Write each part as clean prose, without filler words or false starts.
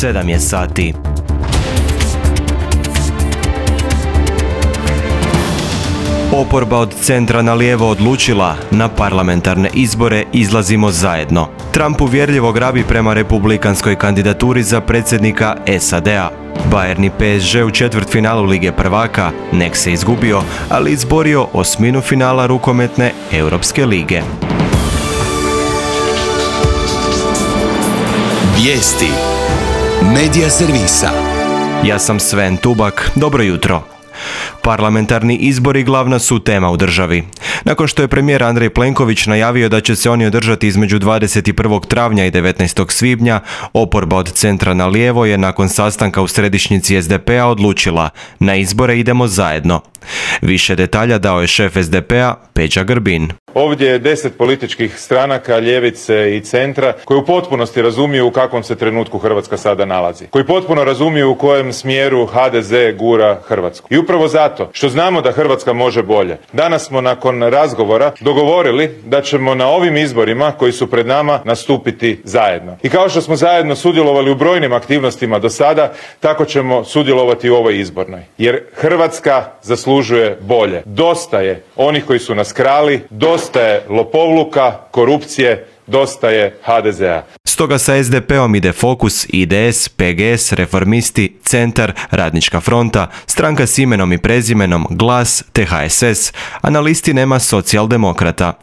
7 je sati. Oporba od centra na lijevo odlučila, na parlamentarne izbore izlazimo zajedno. Trump uvjerljivo grabi prema republikanskoj kandidaturi za predsjednika SAD-a. Bayern i PSG u četvrtfinalu Lige prvaka, nek se izgubio, ali izborio osminu finala rukometne Europske lige. Vijesti Medija servisa. Ja sam Sven Tubak, dobro jutro. Parlamentarni izbori glavna su tema u državi. Nakon što je premijer Andrej Plenković najavio da će se oni održati između 21. travnja i 19. svibnja, oporba od centra na lijevo je nakon sastanka u središnjici SDP-a odlučila: na izbore idemo zajedno. Više detalja dao je šef SDP-a Peđa Grbin. Ovdje je 10 političkih stranaka, ljevice i centra, koji u potpunosti razumiju u kakvom se trenutku Hrvatska sada nalazi. Koji potpuno razumiju u kojem smjeru HDZ gura Hrvatsku. I upravo zato što znamo da Hrvatska može bolje, danas smo nakon razgovora dogovorili da ćemo na ovim izborima koji su pred nama nastupiti zajedno. I kao što smo zajedno sudjelovali u brojnim aktivnostima do sada, tako ćemo sudjelovati u ovoj izbornoj. Jer Hrvatska zaslužuje bolje. Dosta je onih koji su nas krali, dosta je lopovluka, korupcije, dosta je HDZ-a. Stoga sa SDP-om ide Fokus, IDS, PGS, Reformisti, Centar, Radnička fronta, Stranka s imenom i prezimenom, Glas te HSS, a na listi nema socijaldemokrata.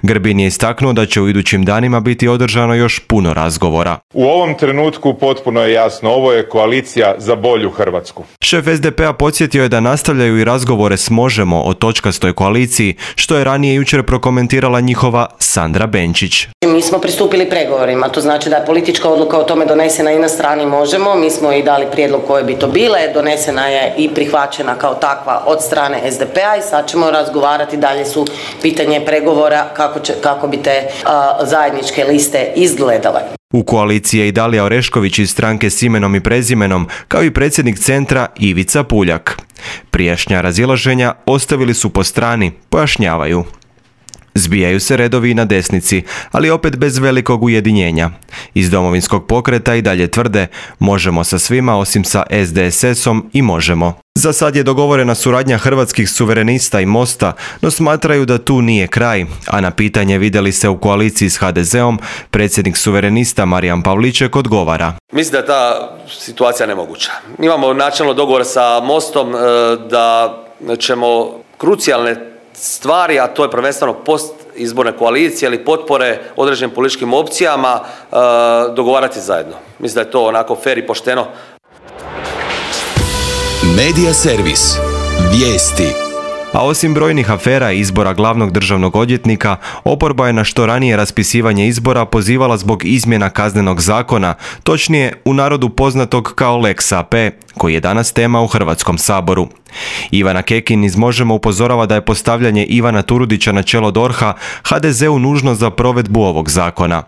Grbin je istaknuo da će u idućim danima biti održano još puno razgovora. U ovom trenutku potpuno je jasno, ovo je koalicija za bolju Hrvatsku. Šef SDP-a podsjetio je da nastavljaju i razgovore s Možemo o točkastoj koaliciji, što je ranije jučer prokomentirala njihova Sandra Benčić. Mi smo pristupili pregovorima, to znači da je politička odluka o tome donesena i na strani Možemo, mi smo i dali prijedlog koje bi to bile, donesena je i prihvaćena kao takva od strane SDP-a i sad ćemo razgovarati, dalje su pitanje pregovora kako bi te zajedničke liste izgledale. U koaliciji je i Dalija Orešković iz Stranke s imenom i prezimenom, kao i predsjednik centra Ivica Puljak. Prijašnja razilaženja ostavili su po strani, pojašnjavaju. Zbijaju se redovi i na desnici, ali opet bez velikog ujedinjenja. Iz Domovinskog pokreta i dalje tvrde: možemo sa svima osim sa SDSS-om i možemo. Za sad je dogovorena suradnja Hrvatskih suverenista i Mosta, no smatraju da tu nije kraj, a na pitanje vidjeli se u koaliciji s HDZ-om, predsjednik suverenista Marijan Pavliček odgovara. Mislim da je ta situacija nemoguća. Imamo načelno dogovor sa Mostom da ćemo krucijalne stvari, a to je prvenstveno postizborne koalicije ili potpore određenim političkim opcijama, dogovarati zajedno. Mislim da je to onako fer i pošteno. Medija servis. Vijesti. A osim brojnih afera i izbora glavnog državnog odvjetnika, oporba je na što ranije raspisivanje izbora pozivala zbog izmjena Kaznenog zakona, točnije u narodu poznatog kao Lex AP, koji je danas tema u Hrvatskom saboru. Ivana Kekin iz Možemo upozorava da je postavljanje Ivana Turudića na čelo DORH-a HDZ-u nužno za provedbu ovog zakona.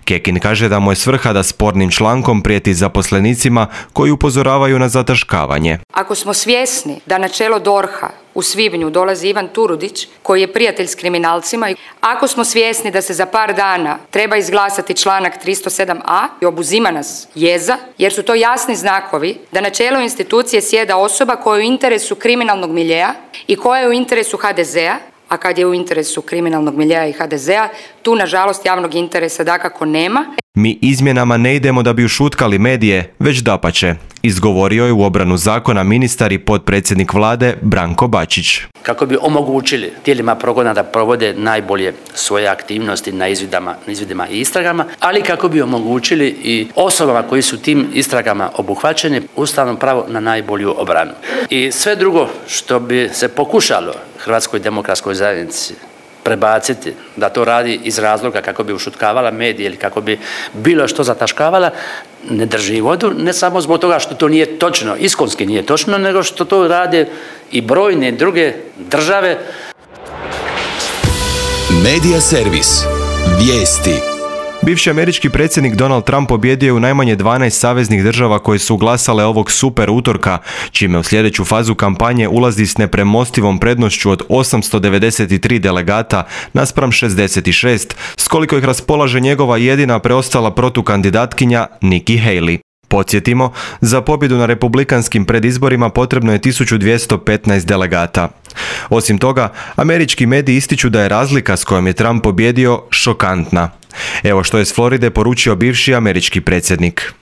Kekin kaže da mu je svrha da spornim člankom prijeti zaposlenicima koji upozoravaju na zataškavanje. Ako smo svjesni da na čelo DORH-a u svibnju dolazi Ivan Turudić, koji je prijatelj s kriminalcima, ako smo svjesni da se za par dana treba izglasati članak 307a i obuzima nas jeza, jer su to jasni znakovi da na čelu institucije sjeda osoba koja je u interesu kriminalnog miljea i koja je u interesu HDZ-a, a kad je u interesu kriminalnog miljea i HDZ-a, tu nažalost javnog interesa dakako nema. Mi izmjenama ne idemo da bi ušutkali medije, već dapače, izgovorio je u obranu zakona ministar i potpredsjednik vlade Branko Bačić. Kako bi omogućili tijelima progona da provode najbolje svoje aktivnosti na izvidima i istragama, ali kako bi omogućili i osobama koji su tim istragama obuhvaćeni ustavno pravo na najbolju obranu. I sve drugo što bi se pokušalo Hrvatskoj demokratskoj zajednici prebaciti da to radi iz razloga kako bi ušutkavala medije ili kako bi bilo što zataškavala, ne drži vodu, ne samo zbog toga što to nije točno, iskonski nije točno, nego što to rade i brojne druge države. Medija servis. Vijesti. Bivši američki predsjednik Donald Trump pobjedio je u najmanje 12 saveznih država koje su glasale ovog super utorka, čime u sljedeću fazu kampanje ulazi s nepremostivom prednošću od 893 delegata naspram 66, s koliko ih raspolaže njegova jedina preostala protukandidatkinja Nikki Haley. Podsjetimo, za pobjedu na republikanskim predizborima potrebno je 1215 delegata. Osim toga, američki mediji ističu da je razlika s kojom je Trump pobjedio šokantna. Evo što je s Floride poručio bivši američki predsjednik.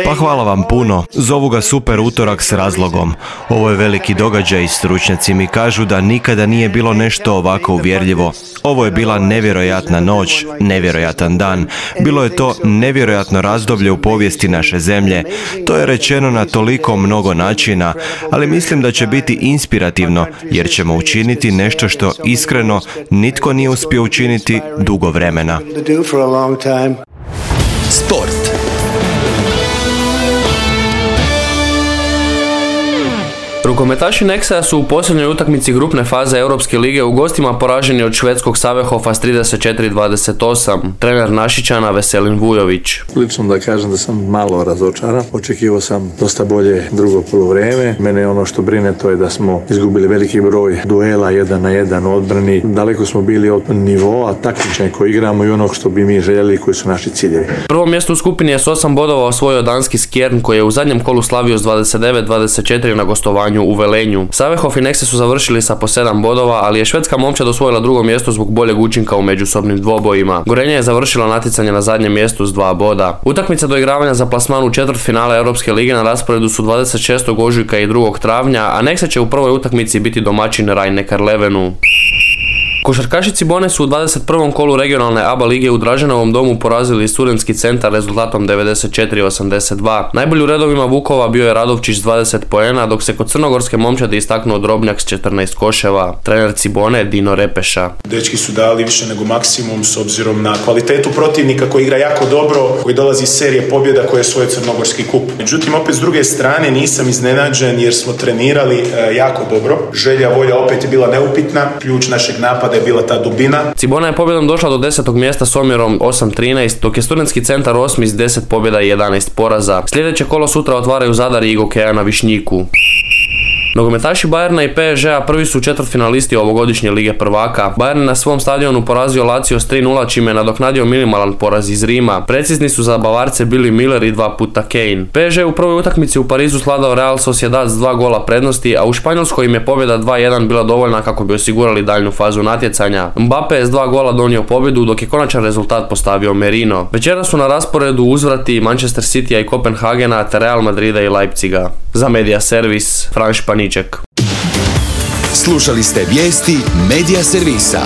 Pa hvala vam puno. Zovu ga super utorak s razlogom. Ovo je veliki događaj i stručnjaci mi kažu da nikada nije bilo nešto ovako uvjerljivo. Ovo je bila nevjerojatna noć, nevjerojatan dan. Bilo je to nevjerojatno razdoblje u povijesti naše zemlje. To je rečeno na toliko mnogo načina, ali mislim da će biti inspirativno jer ćemo učiniti nešto što iskreno nitko nije uspio učiniti dugo vremena. Sport. Rukometaši Nexa su u posljednjoj utakmici grupne faze Europske lige u gostima poraženi od švedskog Sävehofa s 34-28. Trener Našićana Veselin Vujović. Lično da kažem da sam malo razočaran. Očekivao sam dosta bolje drugo poluvrijeme. Mene ono što brine to je da smo izgubili veliki broj duela 1 na 1 u odbrani. Daleko smo bili od nivoa takmičenja koji igramo i onog što bi mi željeli koji su naši ciljevi. Prvo mjesto u skupini je s 8 bodova osvojio danski Skjern koji je u zadnjem kolu slavio s 29-24 na gostovanju u Velenju. Sävehof i Nexe su završili sa po 7 bodova, ali je švedska momčad osvojila drugo mjesto zbog boljeg učinka u međusobnim dvobojima. Gorenje je završila natjecanje na zadnjem mjestu s 2 boda. Utakmice doigravanja za plasman u četvrtfinale Europske lige na rasporedu su 26. ožujka i 2. travnja, a Nexe će u prvoj utakmici biti domaćin Rhein-Neckar Levenu. Košarkaši Cibone su u 21. kolu regionalne ABA lige u Draženovom domu porazili Studentski centar rezultatom 94-82. Najbolji u redovima Vukova bio je Radovčić s 20 poena, dok se kod crnogorske momčadi istaknuo Drobnjak s 14 koševa. Trener Cibone Dino Repeša. Dečki su dali više nego maksimum s obzirom na kvalitetu protivnika koji igra jako dobro, koji dolazi iz serije pobjeda koje je svoj crnogorski kup. Međutim, opet s druge strane nisam iznenađen jer smo trenirali jako dobro. Želja, volja opet je bila neupitna. Ključ našeg napada je bila ta dubina. Cibona je pobjedom došla do 10. mjesta s omjerom 8-13, dok je Studentski centar 8. s 10 pobjeda i 11 poraza. Sljedeće kolo sutra otvaraju Zadar i Igokeja na Višnjiku. Nogometaši Bayerna i PSG-a prvi su četvrtfinalisti ovogodišnje Lige prvaka. Bayern na svom stadionu porazio Lazio s 3-0, čime je nadoknadio minimalan poraz iz Rima. Precizni su za Bavarce bili Miller i 2 puta Kane. PSG u prvoj utakmici u Parizu sladao Real Sociedad s 2 gola prednosti, a u Španjolskoj im je pobjeda 2-1 bila dovoljna kako bi osigurali daljnju fazu natjecanja. Mbappe je s 2 gola donio pobjedu, dok je konačan rezultat postavio Merino. Večera su na rasporedu uzvrati Manchester Citya i Kopenhagena te Real Madrida i Leipziga. Za Media Servis, Franš Paniček. Slušali ste vijesti Media Servisa.